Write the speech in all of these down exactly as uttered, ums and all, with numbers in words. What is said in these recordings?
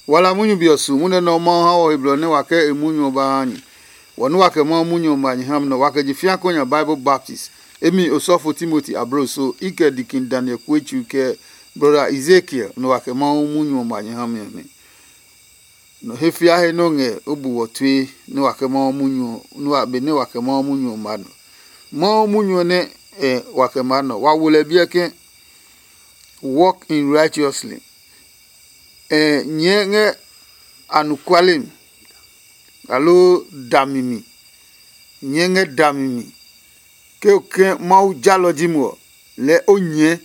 Wala munyu be ɔ su munyu nɛ Mawu ha wɔ he blɔ nɛ wa kɛ e munyu ɔ ba ha nyɛ. Wɔ nɛ wa kɛ Mawu munyu ɔ ma nyɛ ha mi nɛ wa kɛ je fĩa kɔ nya Bible baptist. Emi osɔfo Timoti ablo so i kɛ dikin Daniel Kuetsu kɛ brɔda Ezekiel nɛ wa kɛ Mawu munyu ɔ ma nyɛ ha mi ɔ nɛ. Nɔ he fia he nɛ o ngɛ o bu wɔ tue nɛ wa kɛ Mawu munyu ɔ nɛ wa be nɛ wa kɛ Mawu munyu ɔ ma nɔ. Mawu munyu ɔ nɛ ɛ wa kɛ ma nɔ wa wo lɛ biɛ ke walk in righteously. Ɛ nyɛɛ ngɛ anɔkuale mi aloo dami mi. Nyɛɛ ngɛ dami mi. Ke o ke Mawu jalɔ ji mo ɔ, lɛɛ o nyɛɛ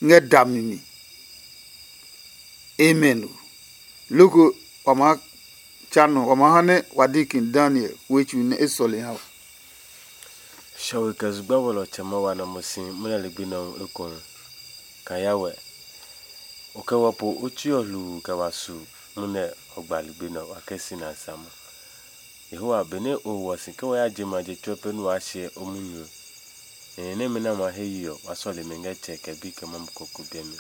ngɛ dami mi. Amen o. Loko wa maa tsa nɔ wa maa ha nɛ wa di kin Daniel wetsu nɛ e sɔle ha o. Shɔwe kɛ zugba wɛlɔ tsɛ ma wa na mo si munɛ ligbi nɛ ɔ ekohu. Ka ya wɛ. O kɛ wɔ po o tsi ɔ hluu kɛ wa su munɛ ɔ gba ligbi nɛ ɔ wa kɛ si na a sama. Yehowa, benɛ o hwɔ si ke wa ya je ma je tsuɛ pɛ nɛ waa hyɛ o munyu ɔ, nɛ ni nɛmɛ nɛ a ma he yi ɔ, wa sɔle mi ngɛ tsɛ kɛ bi kɛ mamu ko ko biɛ mi.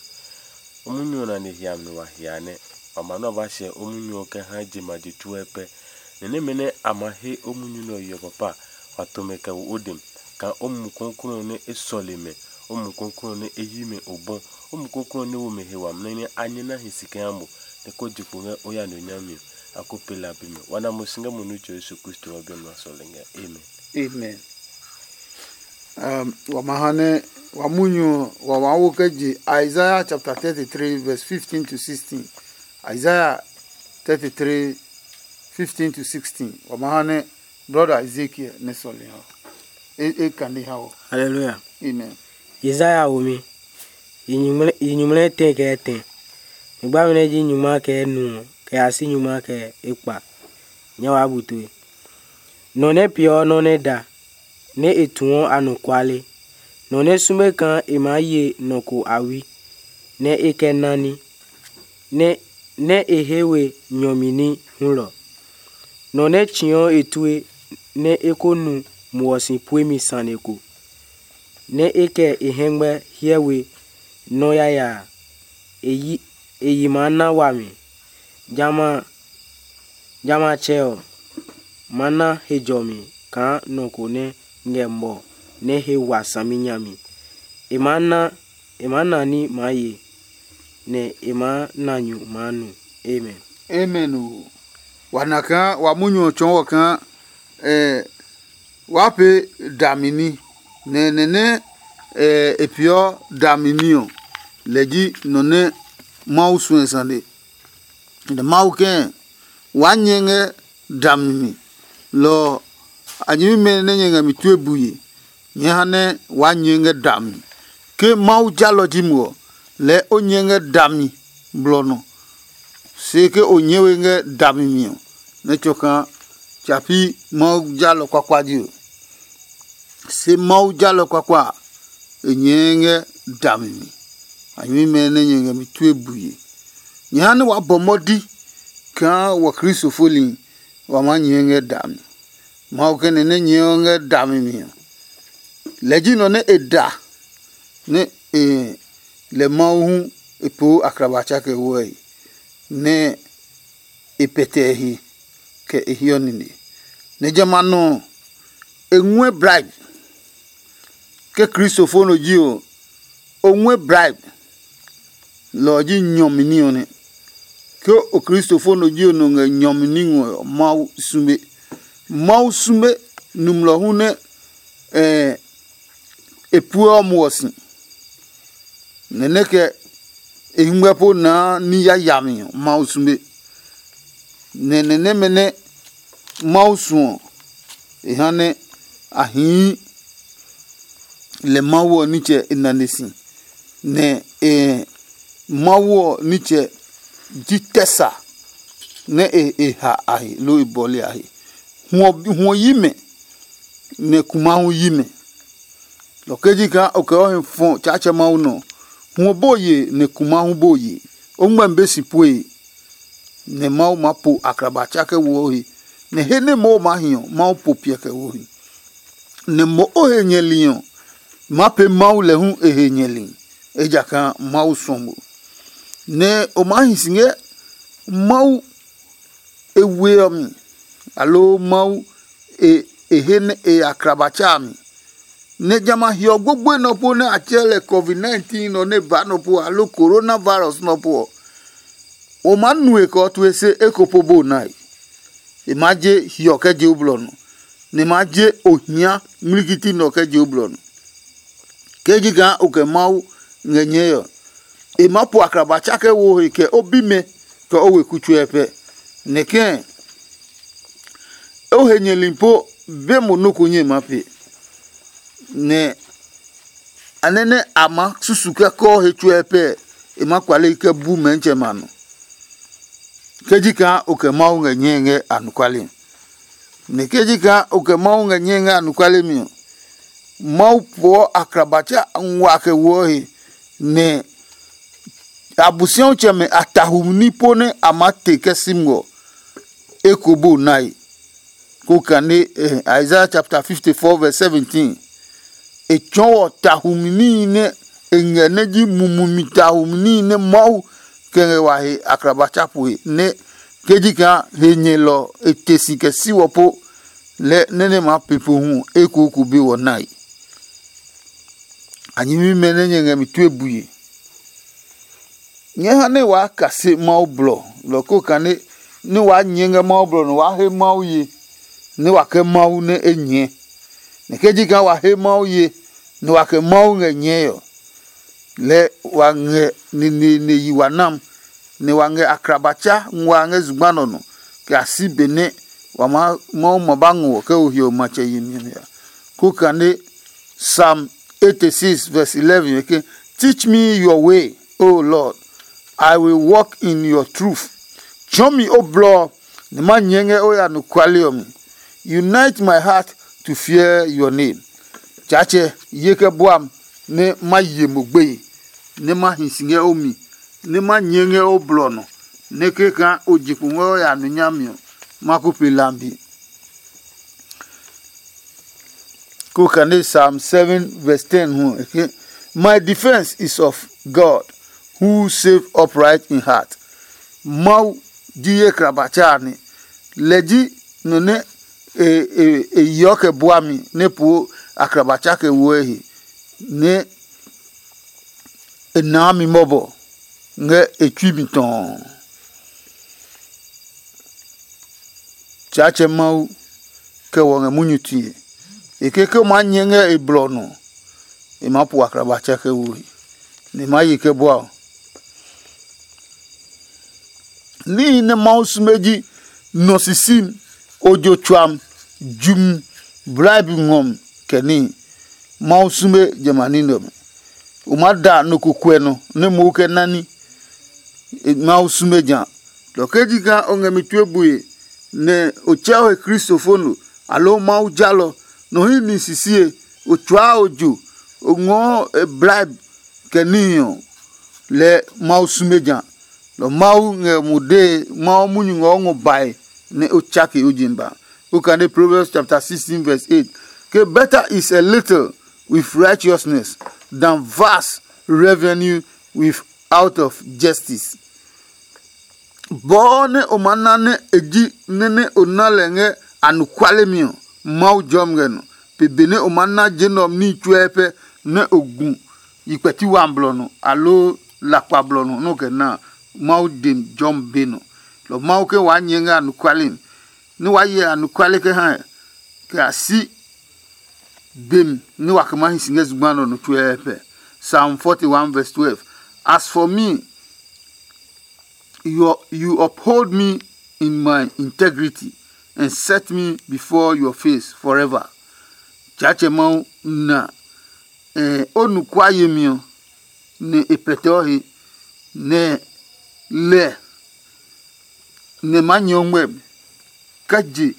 O munyu ɔ nane hiami nɛ wa hia nɛ wa ma nɛ wa ba hyɛ o munyu ɔ kɛ ha je ma je tsuɛ pɛ. Ni nɛmɛ nɛ a ma he o munyu nɛ ɔ yi ɔ papa, wa to mɛ kɛ wo o dem, kaa o Mumi Klɔuklɔu ɔ nɛ e sɔle mɛ, o Mumi Klɔuklɔu ɔ nɛ e yi mɛ obɔ, o Mumi Klɔuklɔu ɔ nɛ wo mɛ he wami nɛ a nyɛ na hi si kɛ ha mo, nɛ ko je kpo ngɛ o ya nɔ nyami ɔ, a ko pee la bi mɛ. Wa na mo si ngɛ mo Nitsɛ Yesu Kristo ɔ biɛ nɔ a sɔle ngɛ. Amen. Amen. Um, wa ma ha nɛ wa munyu ɔ, wa maa wo kɛ je Isaiah chapter thirty-three verse fifteen to sixteen. Isaiah thirty-three, fifteen to sixteen. Wa ma ha nɛ brother Ezekiel nɛ sɔle ha. E, e kane ha o. Hallelujah. Amen. Isaiah wo mi. Yi nyuŋmlɛ yi nyuŋmlɛ tɛ kɛ tɛ. Nyugbami nɛ ji nyungma kɛ nu ɔ kɛ ya si nyungma kɛ ekpa. Nyɛ waa bu tue. Nɔ nɛ peeɔ nɔ́ nɛ da, nɛ e tuɔ anɔkuale. Nɔ nɛ sume kaa e maa ye nɔ ko awi, nɛ e kɛ nani, nɛ nɛ e he we nyɔmi ní hulɔ. Nɔ nɛ tsiɔ e tue nɛ e ko nu muɔ si puemi sane ko, nɛ e kɛ e hɛngmɛ hyɛ we nɔ́ yaya a, e yi e yi maa na wami. Jamɛ a jamɛ a tsɛ ɔ, ma na he jɔmi kaa nɔ ko nɛ ngɛ mɔ nɛ he wa saminya mi. E maa na e maa na ní maa ye, nɛ e maa na nyu maa nu. Amen. Amen o. Wa na kaa wa munyu ɔ tsɔɔ wɔ kaa eh, waa pee dami ní, nɛ nɛ nɛ eh, e peeɔ dami ní ɔ, lɛ ji nɔ nɛ Mawu suɛ sane. Nɛ Mawu kɛɛ, waa nyɛ ngɛ dami mi. Lɔ ɔ, a nyɛmimɛ nɛ nyɛ ngɛ mi tue bue, nyɛɛ ha nɛ waa nyɛɛ ngɛ dami. Ke Mawu jalɔ ji mo ɔ, lɛɛ o nyɛɛ ngɛ dami blɔ nɔ. Se ke o nyɛɛ we ngɛ dami mi ɔ, nɛ tsɔ kaa tsa pi Mawu jalɔ kuakua ji ɔ. Se Mawu jalɔ kuakua a, e nyɛɛ ngɛ dami mi. A nyɛmimɛ nɛ nyɛ ngɛ mi tue bue. Nyɛ ha nɛ waa bɔ mɔdi kaa wɔ Kristo foli wa maa nyɛɛ ngɛ dami. Mawu kɛ nɛ nɛ nyɛɛ ɔ ngɛ dami mi ɔ, lɛ ji nɔ nɛ e da nɛ e lɛ Mawu hu e poo akraba tsa kɛ woe, nɛ e pɛtɛ e he kɛ e hiɔ nine. Nɛ jamɛ a nɔ ɔ, e nguɛ bribe. Ke Kristo fo nɔ ji ɔ, o nguɛ bribe. Lɔ ɔ ji nyɔmi ní ɔ nɛ. Ke o Kristo fo nɔ ji ɔ nɔ ngɛ nyɔmi ní ngɔ ɔ, Mawu sume. Mawu sume nɔmlɔ hu nɛ e pueɔ muɔ si. Nɛ nɛ kɛ e hɛngmɛ po naa ní yayami ɔ, Mawu sume. Nɛ nɛ nɛmɛ nɛ Mawu suɔ ɔ, e ha nɛ a hii lɛ Mawu ɔ nitsɛ e nane si, nɛ e Mawu ɔ nitsɛ ji tɛ sa nɛ e e ha a he loo e bɔle a he. Hwɔ hwɔ yi mɛ, nɛ kuma hu yi mɛ. Lɔ kɛ ji kaa o kɛ o he fɔ Tsaatsɛ Mawu nɔ ɔ, hwɔ bo ye nɛ kuma hu bo ye. O ngmɛmi be si pue, nɛ Mawu maa po akraba tsa kɛ wo o he, nɛ he nɛ Mawu maa hi ɔ, Mawu po piɛ kɛ wo o he. Nɛ mo o he nyɛli ɔ, ma pee Mawu lɛ hu e he nyɛli, ejakaa Mawu suɔ mo. Nɛ o maa hi si ngɛ Mawu e we ɔ mi, aloo Mawu e e he nɛ e ya kraba tsa a mi, nɛ jamɛ a hiɔ gbogboe nɔ po nɛ a tsɛɛ lɛ covid nineteen nɔ nɛ ba nɔ po aloo corona virus nɔ po ɔ, o maa nue kɛ o tue se eko po bo nae. E maa je hiɔ kɛ je o blɔ nɔ, nɛ e maa je ohia ngmlikiti nɔ kɛ je o blɔ nɔ. Ke ji kaa o kɛ Mawu ngɛ nyɛe ɔ, e maa po akraba tsa kɛ wo he kɛ o bimɛ kɛ o weku tsuɛ pɛ. Nɛ kɛ̃ o he nyɛli po be mo nɔ́ ko nyɛ ma pe, nɛ a nɛ nɛ a maa susu kɛ kɔɔ he tsuɛ pɛ, e maa kpale kɛ bu mɛnitsɛ ma nɔ. Ke ji kaa o kɛ Mawu ngɛ nyɛe ngɛ anɔkuale mi, nɛ ke ji kaa o kɛ Mawu ngɛ nyɛe ngɛ anɔkuale mi ɔ, Mawu poɔ akrabatsa ngua kɛ woɔ he, nɛ Abosiɔtsɛmɛ a tahu ní po nɛ a maa te kɛ si ngɔ eko bo nae. Ko kane eh, Isaiah chapter fifty-four verse seventeen. E tsɔɔ wɔ tahumi níhi nɛ e ngɛ nɛ ji mumumi tahumi níhi nɛ Mawu kɛ ngɛ wa he akraba tsa poe nɛ ke ji kaa he nyɛlɔ e te si kɛ si wɔ po lɛ nɛ nɛ maa pe po hu ekoku be wɔ nae. A nyɛmimɛ nɛ nyɛ ngɛ mi tue bue. Nyɛɛ ha nɛ waa kase Mawu blɔ lɔ ko kane nɛ waa nyɛɛ ngɛ Mawu blɔ nɔ waa he Mawu ye, nɛ wa kɛ Mawu nɛ e nyɛɛ. Nɛ ke ji kaa wa he Mawu ye, nɛ wa kɛ Mawu ngɛ nyɛɛ ɔ, lɛɛ wa ngɛ neneene yi wa nam, nɛ wa ngɛ akrabatsa nguaa ngɛ zugba nɔ nɔ kɛ a si benɛ wa maa Mawu ma ba ngɔ kɛ o hiɔ matsɛ yemi ɔ ya. Ko kane Psalm eighty-six verse eleven eke, "Teach me your way, O Lord, I will walk in your truth." Tsɔɔ mi o blɔ ɔ, nɛ ma nyɛɛ ngɛ o ya nɔkuale ɔ mi. Unite my heart to fear your name. Tsaatsɛ ye kɛ bua m nɛ ma ye mo gbeye, nɛ ma hi si ngɛ o mi, nɛ ma nyɛɛ ngɛ o blɔ nɔ, nɛ kɛkaa o je kpo ngɛ o ya nɔ nyami ɔ, ma ko pe lambi. Ko kane Psalm seven verse ten hu eke, "My defense is of God, who save upright in heart." Mawu ji ye krabatsa a nɛ. Lɛ ji nɔ nɛ e e e yeɔ kɛ bua mi nɛ poo akrabatsa kɛ woɔ e he, nɛ e naa mi mɔbɔ ngɛ e tsui mi tɔɔ. Tsaatsɛ Mawu kɛ wɔ ngɛ munyu tue. E ke ke o maa nyɛ ngɛ e blɔ nɔ, e maa po akraba tsɛ kɛ wo he, nɛ e maa ye kɛ bua ɔ. Níhi nɛ Mawu sume ji nɔ sisi, ojo tsuam, jumi, blaibi ngɔmi, kɛ níhi. Mawu sume jamɛ a ní nɛ ɔmɛ. O maa da nɔ ko kuɛ nɔ nɛ mohu kɛ nani. Mawu sume ja. Lɔ ke ji kaa o ngɛ mi tue bue, nɛ o tsɛ o he kristofo no, aloo Mawu jalɔ, nɔ hɛ ni sisie, o tsuaa ojo, o ngɔɔ e blaib kɛ níhi ɔ, lɛɛ Mawu sume ja. Lɔ Mawu ngɛ mo dee, Mawu munyu ngɛ o ngɔ bae nɛ o tsake o je ba. O kane Proverbs chapter sixteen verse eight. Ke better is a little with righteousness than vast revenue with out of justice. Bɔɔ nɛ o maa na nɛ e ji nɛ nɛ o na lɛ ngɛ anɔkuale mi ɔ, Mawu jɔmi ngɛ nɔ. Pe benɛ o maa na je nɛ ɔ ní tsuɛ pɛ nɛ o gu yi kpɛti wa blɔ nɔ, aloo lakpa blɔ nɔ nɛ o kɛ na a, Mawu dem jɔmi be nɔ. Lɔ Mawu ke waa nyɛɛ ngɛ anɔkuale mi, nɛ waa hyɛ anɔkuale kɛ ha kɛ a si bem nɛ wa kɛ maa hi si ngɛ zugba nɔ nɔ tsuɛɛpɛ. Psalm forty-one verse twelve. As for me, you, you uphold me in my integrity and set me before your face forever. Tsaatsɛ Mawu na eh, o nukua yemi ɔ, nɛ e pɛtɛɔ he, nɛ lɛ nɛ maa nyɛ o ngmɛmi kɛ je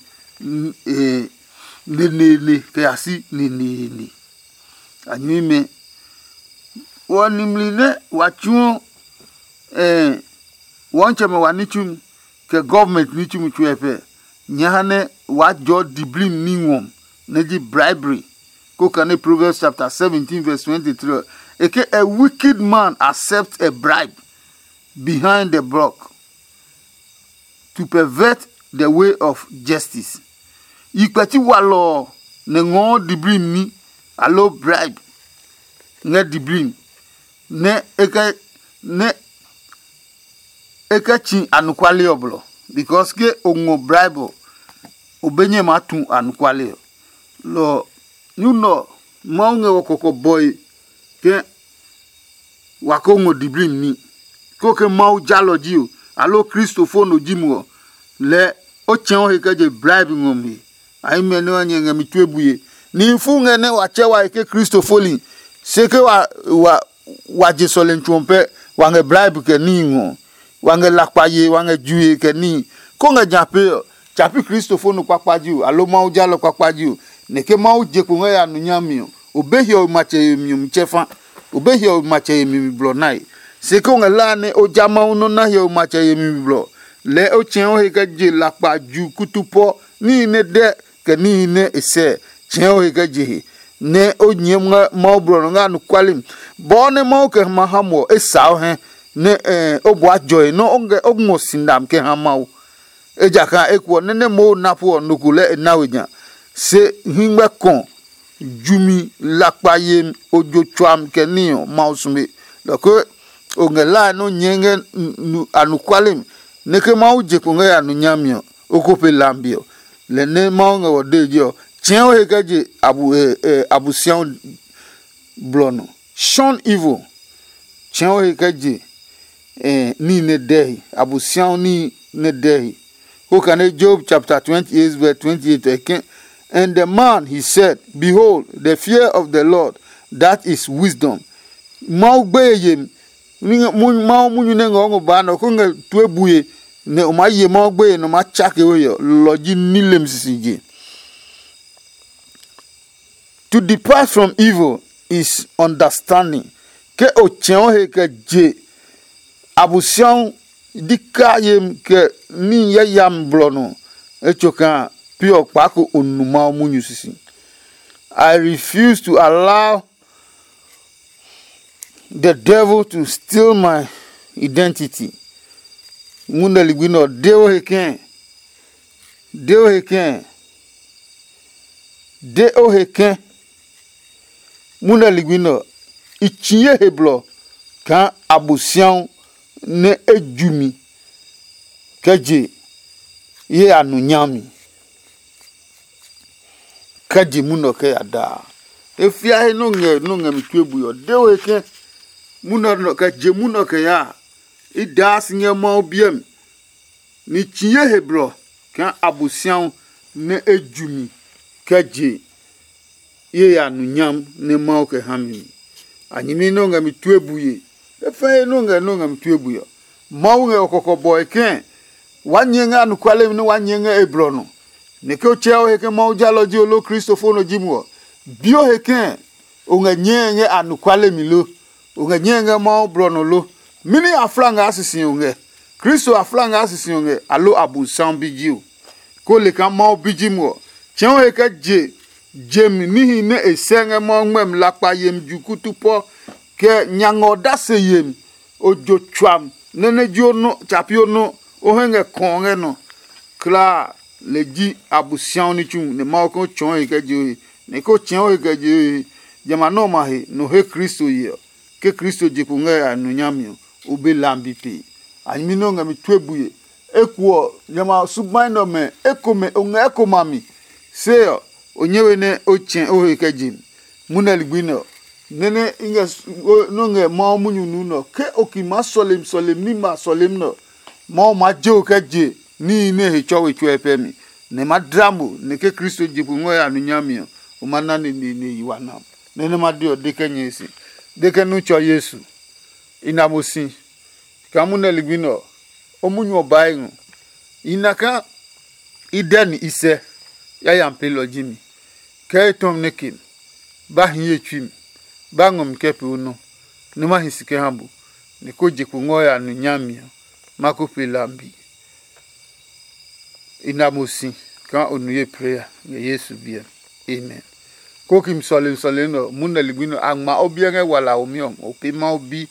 neneene kɛ ya si neneene. A nyɛmimɛ, wɔ nimli nɛ wa tsuɔ wɔntsɛmɛ wa ní tsumi kɛ gɔvmɛnt ní tsumi tsuɛ pɛ, nyɛ ha nɛ waa jɔɔ diblimi ní ngɔm, nɛ ji bribery. Ko kane Proverbs chapter seventeen verse twenty-three, e ke, "A wicked man accepts a bribe behind the block." to pervert the way of justice. Yi kpɛti walɔ ɔ nɛ ngɔɔ diblimi ní, aloo bribe ngɛ diblimi, nɛ e kɛ nɛ e kɛ tsi anɔkuale ɔ blɔ, because ke o ngɔ bribe ɔ, o be nyɛ maa tu anɔkuale ɔ. Lɔ ɔ, nyu nɛ ɔ, Mawu ngɛ wɔ kɔkɔ bɔe ke wa ko ngɔ diblimi ní. Ko ke Mawu jalɔ ji o, aloo Kristo fo nɔ ji mo ɔ, lɛɛ o tsɛ̃ o he kɛ je bribe ngɔ mi he. A himi ɔ nɛ wa nyɛ ngɛ mi tue bue. Nihi fu ngɛ nɛ wa tsɛ wa he ke Kristo foli, se ke wa wa wa je sɔlemi tsu ɔ pɛ, wa ngɛ bribe kɛ níhi ngɔ, wa ngɛ lakpa ye, wa ngɛ jue kɛ níhi. Ko ngɛ ja pee ɔ, tsa pi Kristo fo nɔ kpakpa ji o, aloo Mawu jalɔ kpakpa ji o, nɛ ke Mawu je kpo ngɛ ya nu nyami ɔ, o be hiɔwe matsɛ yemi ɔ mi tsɛ fa. O be hiɔwe matsɛ yemi mi blɔ nae. Se ke o ngɛ hlaa nɛ o ja Mawu nɔ́ na hiɔwe matsɛ yemi mi blɔ, lɛɛ o tsɛ̃ o he kɛ je lakpa ju kutu pɔ níhi nɛ dɛ kɛ níhi nɛ e sɛ. Tsɛ̃ o he kɛ je he, nɛ o nyɛɛ ngɛ Mawu blɔ nɔ ngɛ anɔkuale mi. Bɔɔ nɛ Mawu kɛ ma ha mo ɔ, e saa o hɛ, nɛ o bua jɔe nɔ́ o ngɛ o ngɔ si nam kɛ ha Mawu. Ejakaa eko ɔ, nɛ nɛ Mawu na pu ɔ, nɔ ko lɛɛ e na we nya. Se hingmɛ kɔ jumi lakpa yemi ojo tsuami kɛ níhi ɔ, Mawu sume. Lɔ ko o ngɛ hlae nɛ o nyɛɛ ngɛ anɔkuale mi, nɛ ke Mawu je kpo ngɛ ya nu nyami ɔ, o ko pe lambi ɔ. Lɛ nɛ Mawu ngɛ wɔ dee je ɔ, tsɛ̃ o he kɛ je Abosiaɔ blɔ nɔ. Shun evil. Tsɛ̃ o he kɛ je níhi nɛ dɛhi, Abosiaɔ níhi nɛ dɛhi. Ko kane Job chapter twenty-eight verse twenty-eight ɔ ke, and the man, he said, behold, the fear of the Lord, that is wisdom. Mawu gbeye yemi, Mawu munyu nɛ ngɛ o ngɔ baa nɛ ɔ ko ngɛ tue bue, nɛ o maa ye Mawu gbeye nɛ o maa tsake o he ɔ, lɔ ji ní lemi sisije. To depart from evil is understanding. Ke o tsɛ̃ o he kɛ je Abosiaɔ dika yemi kɛ ní yayami blɔ nɔ, etsokaa pi ɔ kpaako o nu Mawu munyu sisi. I refuse to allow the devil to steal my identity. Munɛ ligbi nɛ ɔ, de o he kɛ̃, de o he kɛ̃, de o he kɛ̃. Munɛ ligbi nɛ ɔ, i tsi ye he blɔ kaa Abosiaɔ nɛ e ju mi kɛ je ye a nu nyami, kɛ je munɔ kɛ ya daa. E fia he nɔ ngɛ nɔ ngɛ mi tue bui ɔ, de o he kɛ munɔ nɔ kɛ je munɔ kɛ ya. I daa si ngɛ Mawu biɛ mi, ni tsi ye he blɔ kaa Abosiaɔ nɛ e ju mi kɛ je ye ya nu nyam nɛ Mawu kɛ ha mi mi. A nyɛmi nɛ o ngɛ mi tue bue, e fɛɛ he nɔ ngɛ nɔ ngɛ mi tue bue ɔ. Mawu ngɛ o kɔkɔ bɔe kɛ̃ waa nyɛɛ ngɛ anɔkuale mi nɛ waa nyɛɛ ngɛ e blɔ nɔ. Nɛ ke o tsɛ o he ke Mawu jalɔ ji o loo Kristofo nɔ ji mo ɔ, bi o he kɛ̃ o ngɛ nyɛɛ ngɛ anɔkuale mi lo? O ngɛ nyɛɛ ngɛ Mawu blɔ nɔ lo? Mɛni afla ngɛ a sisi o ngɛ? Kristo afla ngɛ a sisi o ngɛ, aloo Abosiaɔ bi ji o? Ko le kaa Mawu bi ji mo ɔ, tsɛ̃ o he kɛ je je mi níhi nɛ e sɛ ngɛ Mawu ngmɛmi lakpa yemi ju kutu pɔ, kɛ nya ngɛ odase yemi, ojo tsuam nɛ nɛ ji o nɔ tsapi o nɔ o hɛ ngɛ kɔɔ ngɛ nɔ. Klaa lɛ ji Abosiaɔ ní tsu nɛ Mawu kɛ tsɔɔ he kɛ je o he, nɛ ko tsɛ̃ o he kɛ je o he. Jamɛ a nɛ ɔmɛ a he nɔ he Kristo ye ɔ, ke Kristo je kpo ngɛ a nu nyami ɔ, o be lambi pee. A nyɛmi nɛ o ngɛ mi tue bue. Eko ɔ, jamɛ a su gbai nɛ ɔmɛ ekomɛ o ngɛ ekomɛ a mi. Se ɔ, o nyɛ we nɛ o tsɛ o he kɛ je mi. Munɛ ligbi nɛ ɔ, nɛ nɛ i ngɛ nɛ o ngɛ Mawu munyu nu nɛ ɔ, ke o ki maa sɔlemi sɔlemi ní ma sɔlemi nɛ ɔ, Mawu maa je o kɛ je níhi nɛ he tsɔ we tsuɛ pɛ mi, nɛ ma dla mo nɛ ke Kristo je kpo ngɔ ya nu nyami ɔ, o ma na neneene yi wa nam. Nɛ nɛ ma de ɔ, de kɛ nyɛe si, de kɛ nu tsɔ Yesu. I na mo si. Kaa munɛ ligbi nɛ ɔ, o munyu ɔ baa e ngɔ. I na kaa i dɛ ni i sɛ yayami peelɔ ji mi. Kɛ etɔmi nɛ ke mi, ba hi ye tsui mi, ba ngɔ mi kɛ pee o nɔ, nɛ ma hi si kɛ ha bo, nɛ ko je kpo ngɔ ya nu nyami ɔ, ma ko pee lambi. I na mo si kaa o nu ye preya ngɛ Yesu biɛ mi. Amen. Ko ki mi sɔlemi sɔlemi nɛ ɔ, munɛ ligbi nɛ ɔ, a ngma o biɛ ngɛ walaomi ɔ, o pee Mawu bi.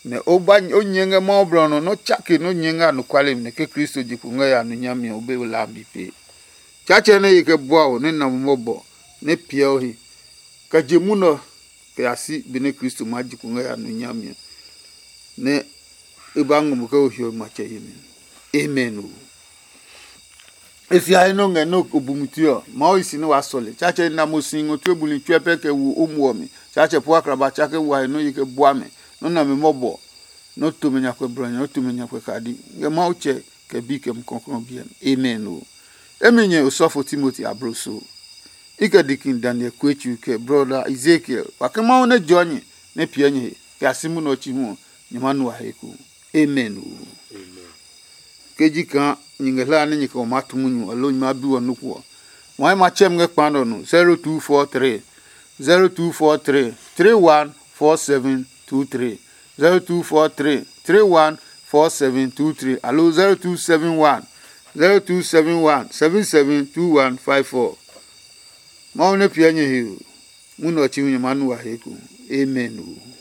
nɛ o ba o nyɛ ngɛ Mawu blɔ nɔ nɛ o tsake nɛ o nyɛ ngɛ anɔkuale mi nɛ ke Kristo je kpo ngɛ ya nu nyami ɔ, o be hlaami pee. Tsatsɛ nɛ ye kɛ bua o nɛ na mo mɔbɔ nɛ piɛ o he, kɛ je munɔ kɛ ya si benɛ Kristo maa je kpo ngɛ ya nu nyami ɔ, nɛ e ba ngɔ mo kɛ o hiɔwe matsɛ yemi. Amen o. E fiahi nɛ o ngɛ nɛ o bu miti ɔ, Mawu yi si nɛ waa sɔle. Tsatsɛ na mo si ngɔ tue buli tsuɛ pɛ kɛ wo o muɔ mi. Tsatsɛ po akraba tsake wa he nɔ yi kɛ bua mɛ. Nɔ nami mɔbɔ, nɔ to mɛ nyakpɛ blɔ nya, nɔ to mɛ nyakpɛ kadi. Ngɛ Mawu tsɛ kɛ bi kɛ mu kɔklɔ biɛ mi. Amen o. Emi nyɛ osɔfo Timoti abloso. I kɛ dikin Daniel Kuetsu kɛ brɔda Ezekiel, wa ke Mawu nɛ jɔ nyɛ nɛ piɛ nyɛ he kɛ a si munɔ ɔ chi hu ɔ, nyɛ ma nu a he ku. Amen o. Ke ji kaa nyɛ ngɛ hlaa nɛ nyɛ kɛ ɔ maa tu munyu ɔ loo nyɛ maa bi wɔ nɔ́ ko ɔ, wai ma tsɛm ngɛ kpa nɛ ɔ nɔ. Zero two four three, zero two four three, three one four seven two three, zero two four three, three one four seven two three, alo zero two seven one, zero two seven one, seven seven two one five four. Mawu nɛ piɛ nyɛ he o. Munɔ ɔ chi hu nyɛ maa nu wa he ku. Amen o.